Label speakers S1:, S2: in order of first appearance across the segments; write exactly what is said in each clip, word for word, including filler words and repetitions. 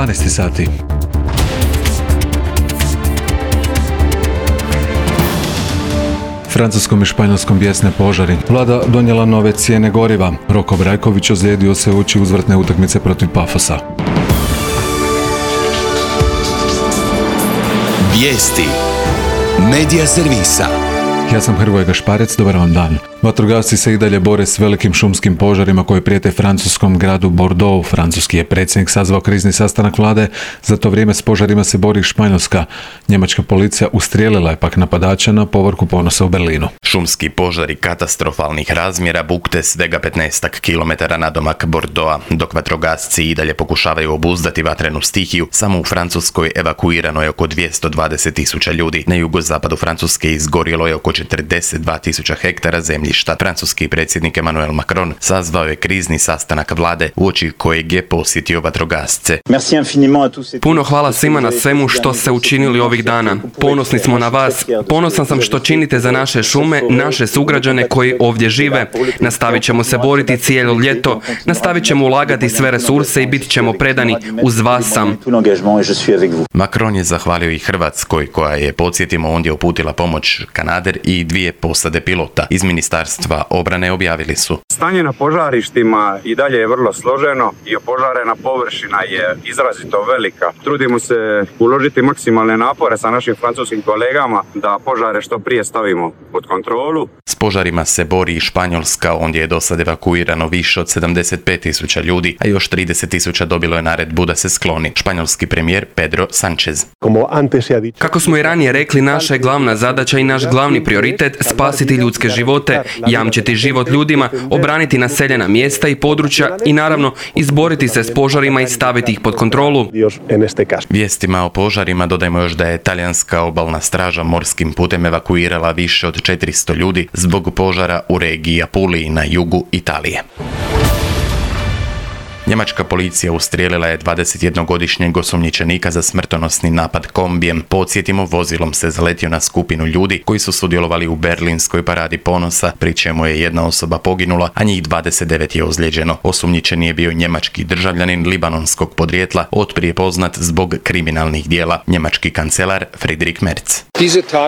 S1: dvanaest sati. Francuskom i Španjolskom bijesne požari. Vlada donijela nove cijene goriva. Roko Brajković ozlijedio se uoči uzvratne utakmice protiv Pafosa.
S2: Vijesti Medija servisa.
S1: Ja sam Hrvoje Gašparec, dobar vam dan. Vatrogasci se i dalje bore s velikim šumskim požarima koji prijete francuskom gradu Bordeaux. Francuski je predsjednik sazvao krizni sastanak vlade, za to vrijeme s požarima se bori Španjolska. Njemačka policija ustrijelila je pak napadača na povorku Ponosa u Berlinu.
S3: Šumski požari katastrofalnih razmjera bukte svega petnaestak kilometara nadomak Bordeauxa. Dok vatrogasci i dalje pokušavaju obuzdati vatrenu stihiju, samo u Francuskoj evakuirano je oko dvjesto dvadeset tisuća ljudi. Na jugozapadu Francuske izgorjelo je oko četrdeset dva tisuća hektara zemljišta. Francuski predsjednik Emmanuel Macron sazvao je krizni sastanak vlade uoči kojeg je posjetio vatrogasce.
S4: Puno hvala svima na svemu što ste učinili ovih dana. Ponosni smo na vas. Ponosan sam što činite za naše šume, naše sugrađane koji ovdje žive. Nastavit ćemo se boriti cijelo ljeto. Nastavit ćemo ulagati sve resurse i bit ćemo predani. Uz vas sam.
S3: Macron je zahvalio i Hrvatskoj koja je, podsjetimo, ondje uputila pomoć Kanader i dvije posade pilota. Iz Ministarstva obrane objavili su:
S5: stanje na požarištima i dalje je vrlo složeno i opožarena površina je izrazito velika. Trudimo se uložiti maksimalne napore sa našim francuskim kolegama da požare što prije stavimo pod kontrolu.
S3: S požarima se bori i Španjolska, ondje je do sad evakuirano više od sedamdeset pet tisuća ljudi, a još trideset tisuća dobilo je naredbu da se skloni. Španjolski premijer Pedro Sánchez.
S4: Kako smo i ranije rekli, naša je glavna zadaća i naš glavni prioritet spasiti ljudske živote, jamčiti život ljudima, obraniti naseljena mjesta i područja i naravno izboriti se s požarima i staviti ih pod kontrolu.
S3: Vijestima o požarima dodajmo još da je talijanska obalna straža morskim putem evakuirala više od četiristo ljudi zbog požara u regiji Apuliji na jugu Italije. Njemačka policija ustrijelila je dvadesetjednogodišnjeg osumnjičenika za smrtonosni napad kombijem. Podsjetimo, vozilom se zaletio na skupinu ljudi koji su sudjelovali u berlinskoj paradi ponosa, pri čemu je jedna osoba poginula, a njih dvadeset devet je ozlijeđeno. Osumnjičeni je bio njemački državljanin libanonskog podrijetla, otprije poznat zbog kriminalnih dijela, njemački kancelar Friedrich Merz.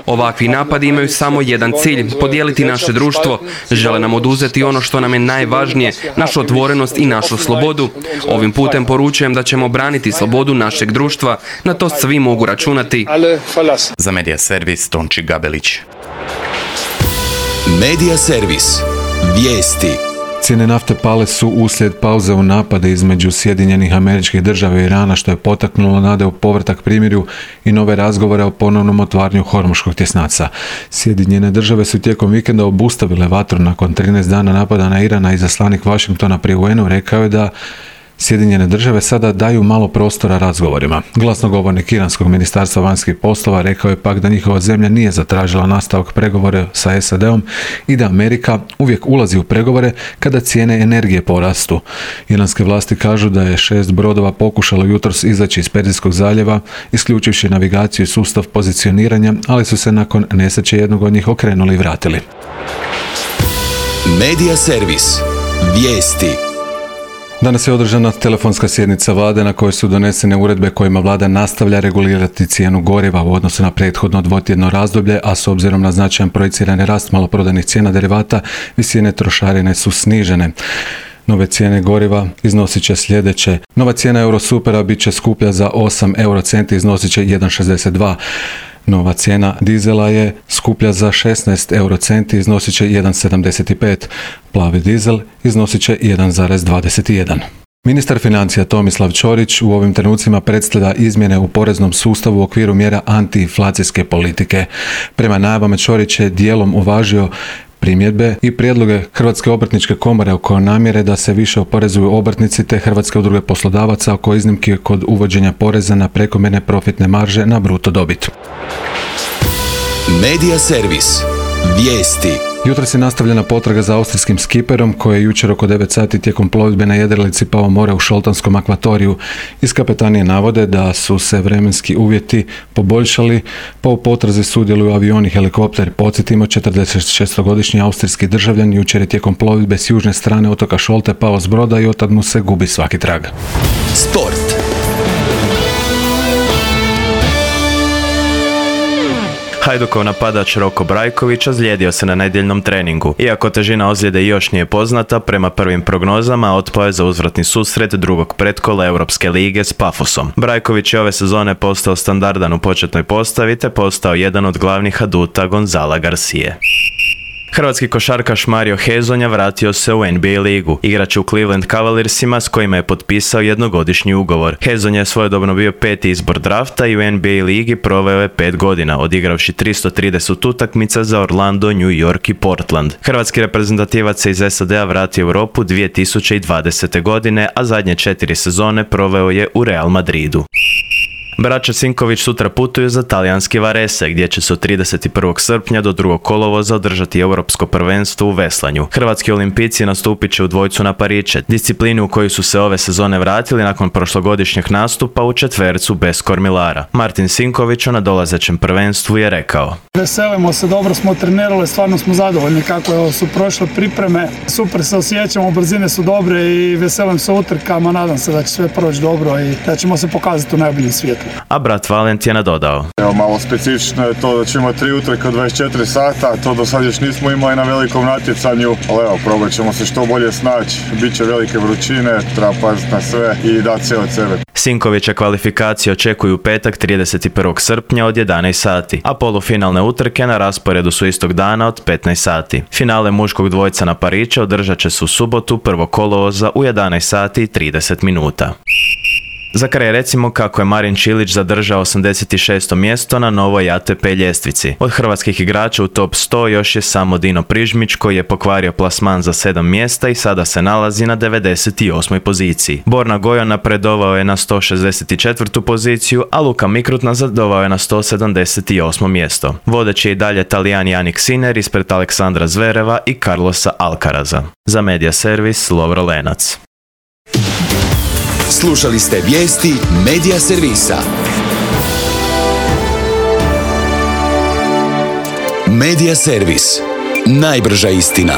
S4: Ovakvi napadi imaju samo jedan cilj, podijeliti naše društvo. Žele nam oduzeti ono što nam je najvažnije, našu otvorenost i našu slobodu. Ovim putem poručujem da ćemo braniti slobodu našeg društva, na to svi mogu računati.
S3: Za Medija servis Tonči Gabelić.
S2: Medija servis. Vijesti.
S1: Cijene nafte pale su uslijed pauze u napade između Sjedinjenih Američkih Država i Irana, što je potaknulo nade u povratak primirju i nove razgovore o ponovnom otvaranju Hormuškog tjesnaca. Sjedinjene Države su tijekom vikenda obustavile vatru nakon trinaest dana napada na Iran, a izaslanik Washingtona pri U N-u rekao je da Sjedinjene Države sada daju malo prostora razgovorima. Glasnogovornik Iranskog ministarstva vanjskih poslova rekao je pak da njihova zemlja nije zatražila nastavak pregovora sa S A D-om i da Amerika uvijek ulazi u pregovore kada cijene energije porastu. Iranske vlasti kažu da je šest brodova pokušalo jutros izaći iz Perzijskog zaljeva, isključivši navigaciju i sustav pozicioniranja, ali su se nakon nesreće jednog od njih okrenuli i vratili.
S2: Medija servis. Vijesti.
S1: Danas je održana telefonska sjednica vlade na kojoj su donesene uredbe kojima vlada nastavlja regulirati cijenu goriva u odnosu na prethodno dvotjedno razdoblje, a s obzirom na značajan projicirani rast maloprodajnih cijena derivata, visine trošarine su snižene. Nove cijene goriva iznosit će sljedeće. Nova cijena Eurosupera bit će skuplja za osam eurocenti, iznosit će jedan zarez šezdeset dva. Nova cijena dizela je skuplja za šesnaest eurocenti, iznosit će jedan zarez sedamdeset pet. Plavi dizel iznosit će jedan zarez dvadeset jedan. Ministar financija Tomislav Ćorić u ovim trenucima predstavlja izmjene u poreznom sustavu u okviru mjera antiinflacijske politike. Prema najavama Ćorić je dijelom uvažio primjedbe i prijedloge Hrvatske obrtničke komore oko namjere da se više oporezuju obrtnici te Hrvatske udruge poslodavaca oko iznimki kod uvođenja poreza na prekomjerne profitne marže na bruto dobit.
S2: Medija servis. Vijesti.
S1: Jutros je nastavljena potraga za austrijskim skiperom koji je jučer oko devet sati tijekom plovidbe na jedrilici pao more u Šoltanskom akvatoriju. Iz kapetanije navode da su se vremenski uvjeti poboljšali, pa u potrazi sudjeluju avioni i helikopter. Podsjetimo, četrdeset šestogodišnji austrijski državljan jučer je tijekom plovidbe s južne strane otoka Šolte pao s broda i otad mu se gubi svaki trag.
S2: Sport.
S6: Hajdukov napadač Roko Brajković ozlijedio se na nedjeljnom treningu. Iako težina ozljede još nije poznata, prema prvim prognozama otpao je za uzvratni susret drugog pretkola Europske lige s Pafosom. Brajković je ove sezone postao standardan u početnoj postavi te postao jedan od glavnih aduta Gonzala Garcije. Hrvatski košarkaš Mario Hezonja vratio se u N B A ligu. Igrač u Cleveland Cavaliersima s kojima je potpisao jednogodišnji ugovor. Hezonja je svojedobno bio peti izbor drafta i u N B A ligi proveo je pet godina, odigravši tristo trideset utakmica za Orlando, New York i Portland. Hrvatski reprezentativac se iz S A D-a vratio u Europu dvije tisuće dvadesete. godine, a zadnje četiri sezone proveo je u Real Madridu. Braća Sinković sutra putuju za talijanski Varese, gdje će se od trideset prvog srpnja do drugog kolovoza održati europsko prvenstvo u veslanju. Hrvatski olimpijci nastupit će u dvojcu na pariće, disciplini u koju su se ove sezone vratili nakon prošlogodišnjeg nastupa u četvercu bez kormilara. Martin Sinković o nadolazećem prvenstvu je rekao:
S7: Veselimo se, dobro smo trenirali, stvarno smo zadovoljni kako su prošle pripreme. Super se osjećamo, brzine su dobre i veselim se utrkama, nadam se da će sve proći dobro i da ćemo se pokazati u najboljem svijetu.
S6: A brat Valent je nadodao:
S8: Evo, malo specifično je to da ćemo tri utrke od dvadeset četiri sata, to do sad još nismo imali na velikom natjecanju, ali evo, probat ćemo se što bolje snaći, bit će velike vrućine, treba paziti na sve i dati sve od sebe.
S6: Sinkovića kvalifikacije očekuju u petak trideset prvog srpnja od jedanaest sati, a polufinalne utrke na rasporedu su istog dana od petnaest sati. Finale muškog dvojca na pariće održat će se u subotu prvog kolovoza u jedanaest sati i trideset minuta. Za kraj recimo kako je Marin Čilić zadržao osamdeset šesto mjesto na novoj A T P ljestvici. Od hrvatskih igrača u top sto još je samo Dino Prižmić koji je pokvario plasman za sedam mjesta i sada se nalazi na devedeset osmoj poziciji. Borna Gojan napredovao je na sto šezdeset četvrtu poziciju, a Luka Mikrut nazadovao je na sto sedamdeset osmo mjesto. Vodeći je i dalje Talijan Jannik Sinner ispred Aleksandra Zvereva i Carlosa Alcaraza. Za Media Servis Lovro Lenac.
S2: Slušali ste vijesti Media Servisa. Media Servis. Najbrža istina.